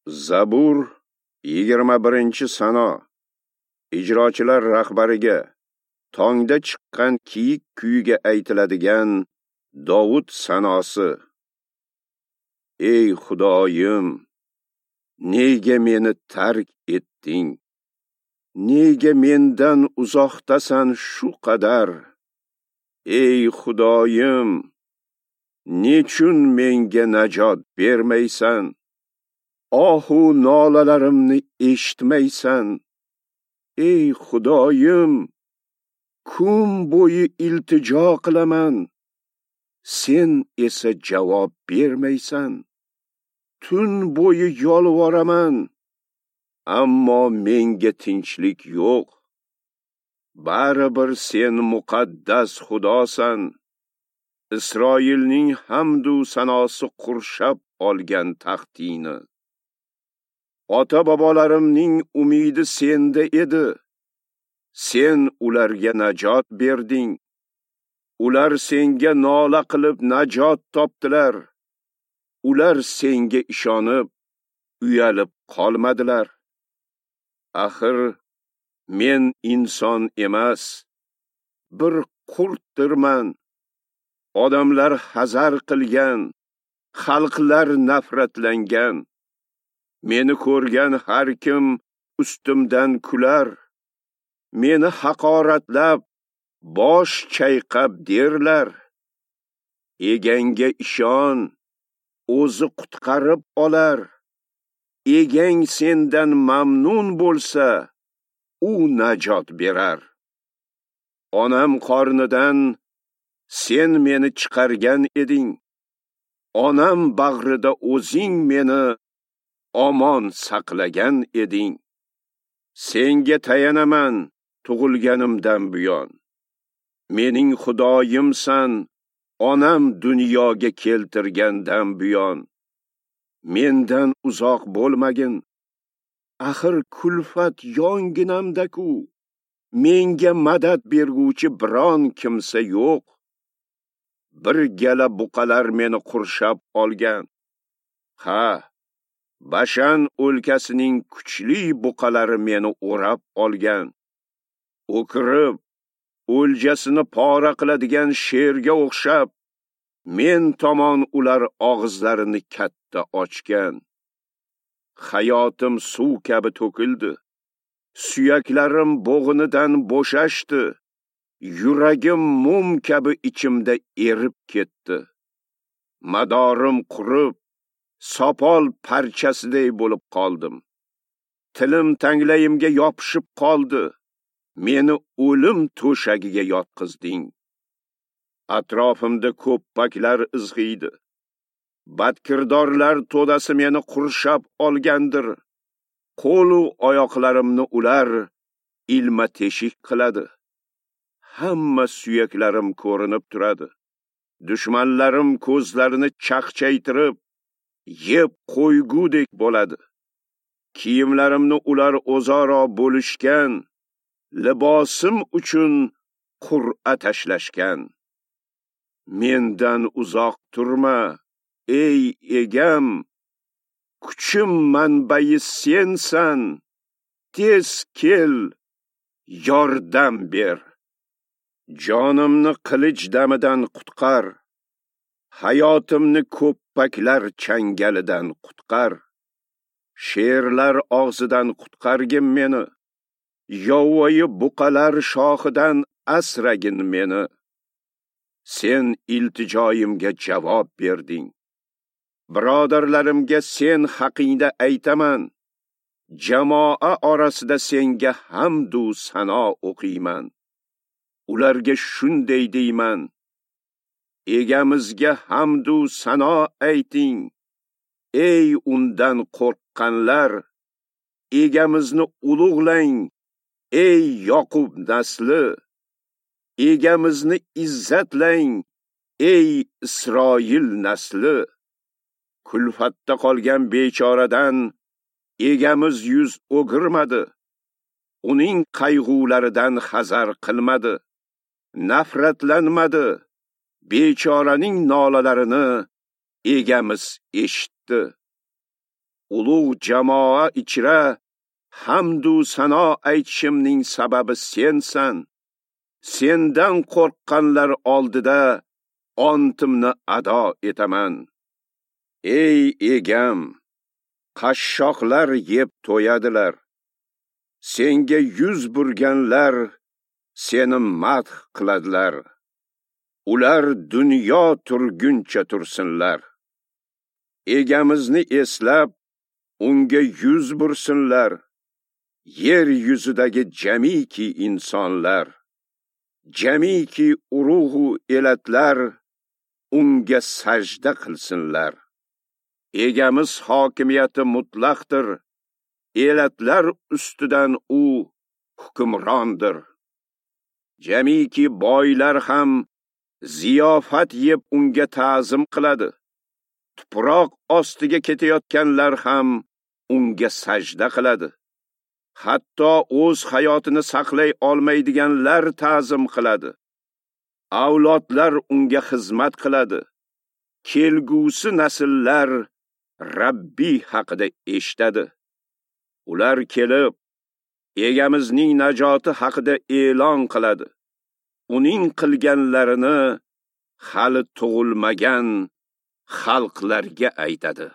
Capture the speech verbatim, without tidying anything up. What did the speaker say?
Zabur yigirma birinchi sano. Ijrochilar rahbariga tongda chiqqan kiyik kuyiga aytiladigan Dovud sanosi. Ey Xudoyim, nega meni tark etding? Nega mendan uzoqdasan shu qadar? Ey Xudoyim, nechun menga najot bermaysan? Ohu nolalarimni eshitmaysan? Ey Xudoyim, kun bo'yi iltijo qilaman, sen esa javob bermaysan. Tun bo'yi yolvoraman, ammo menga tinchlik yo'q. Baribir sen muqaddas Xudosan. Isroilning hamdu sanosi qurshab olgan taxtingni. Ota-bobolarimning umidi senda edi. Sen ularga najot berding. Ular senga nola qilib najot topdilar. Ular senga ishonib, uyalib qolmadilar. Axir men inson emas, bir qurtdirman. Odamlar hazar qilgan, xalqlar nafratlangan. Meni ko'rgan har kim ustimdan kular. Meni haqoratlab, bosh chayqab derlar. Egangga ishon, o'zi qutqarib olar. Egang sendan mamnun bo'lsa, u najot berar. Onam qornidan sen meni chiqargan eding. Onam bag'rida o'zing meni omon saqlagan eding. Senga tayanaman tug'ilganimdan buyon. Mening Xudoyimsan, onam dunyoga keltirgandan buyon. Mendan uzoq bo'lmagin. Axir kulfat yonginamda-ku. Menga madad berguvchi biron kimsa yo'q. Bir gala buqalar meni qurshab olgan. Ha, Bashan o'lkasining kuchli buqalari meni o'rab olgan. O'kirib, o'ljasini pora qiladigan sherga o'xshab, men tomon ular og'izlarini katta ochgan. Hayotim suv kabi to'kildi. Suyaklarim bo'g'inidan bo'shashdi. Yuragim mum kabi ichimda erib ketdi. Madorim qurib, sopol parchasiday bo'lib qoldim. Tilim tanglayimga yopishib qoldi. Meni o'lim to'shagiga yotqizding. Atrofimda ko'ppaklar izg'iydi. Badkirdorlar to'dasi meni qurshab olgandir. Qo'l-u oyoqlarimni ular ilma teshik qiladi. Hamma suyaklarim ko'rinib turadi. Dushmanlarim ko'zlarini chaqchaytirib, yeb qo'ygudek bo'ladi. Kiyimlarimni ular o'zaro bo'lishgan, libosim uchun qur'a tashlashgan. Mendan uzoq turma, ey egam, kuchim manbai sensan. Tez kel, yordam ber. Jonimni qilich damidan qutqar. Hayotimni ko'ppaklar changalidan qutqar. Sherlar og'zidan qutqargin meni. Yovvoyi buqalar shoxidan asragin meni. Sen iltijoyimga javob berding. Birodarlarimga sen haqingda aytaman. Jamoa orasida senga hamdu sano o'qiyman. Ularga shunday deyman: Egamizga hamdu sano ayting. Ey undan qo'rqqanlar, egamizni ulug'lang. Ey Yoqub nasli, egamizni izzatlang. Ey Isroil nasli, kulfatda qolgan bechoradan egamiz yuz o'girmadi. Uning qayg'ularidan hazar qilmadi, nafratlanmadi. Bechoraning nolalarini egamiz eshitdi. Ulug' jamoa ichra hamdu sano aytishimning sababi sensan. Sendan qo'rqqanlar oldida ontimni ado etaman. Ey egam, qashshoqlar yeb to'yadilar. Senga yuz burganlar seni madh qiladilar. Ular dunyo turguncha tursinlar. Egamizni eslab, unga yuz bursinlar. Yer yuzidagi jamiki insonlar, jamiki urug'u elatlar unga sajda qilsinlar. Egamiz hokimiyati mutlaqdir. Elatlar ustidan u hukmrondir. Jamiki boylar ham ziyofat yeb unga ta'zim qiladi. Tuproq ostiga ketayotganlar ham unga sajda qiladi. Hatto o'z hayotini saqlay olmaydiganlar ta'zim qiladi. Avlodlar unga xizmat qiladi. Kelgusi nasllar Rabbi haqida eshitadi. Ular kelib, egamizning najoti haqida e'lon qiladi. Uning qilganlarini hali tug'ilmagan xalqlarga aytadi.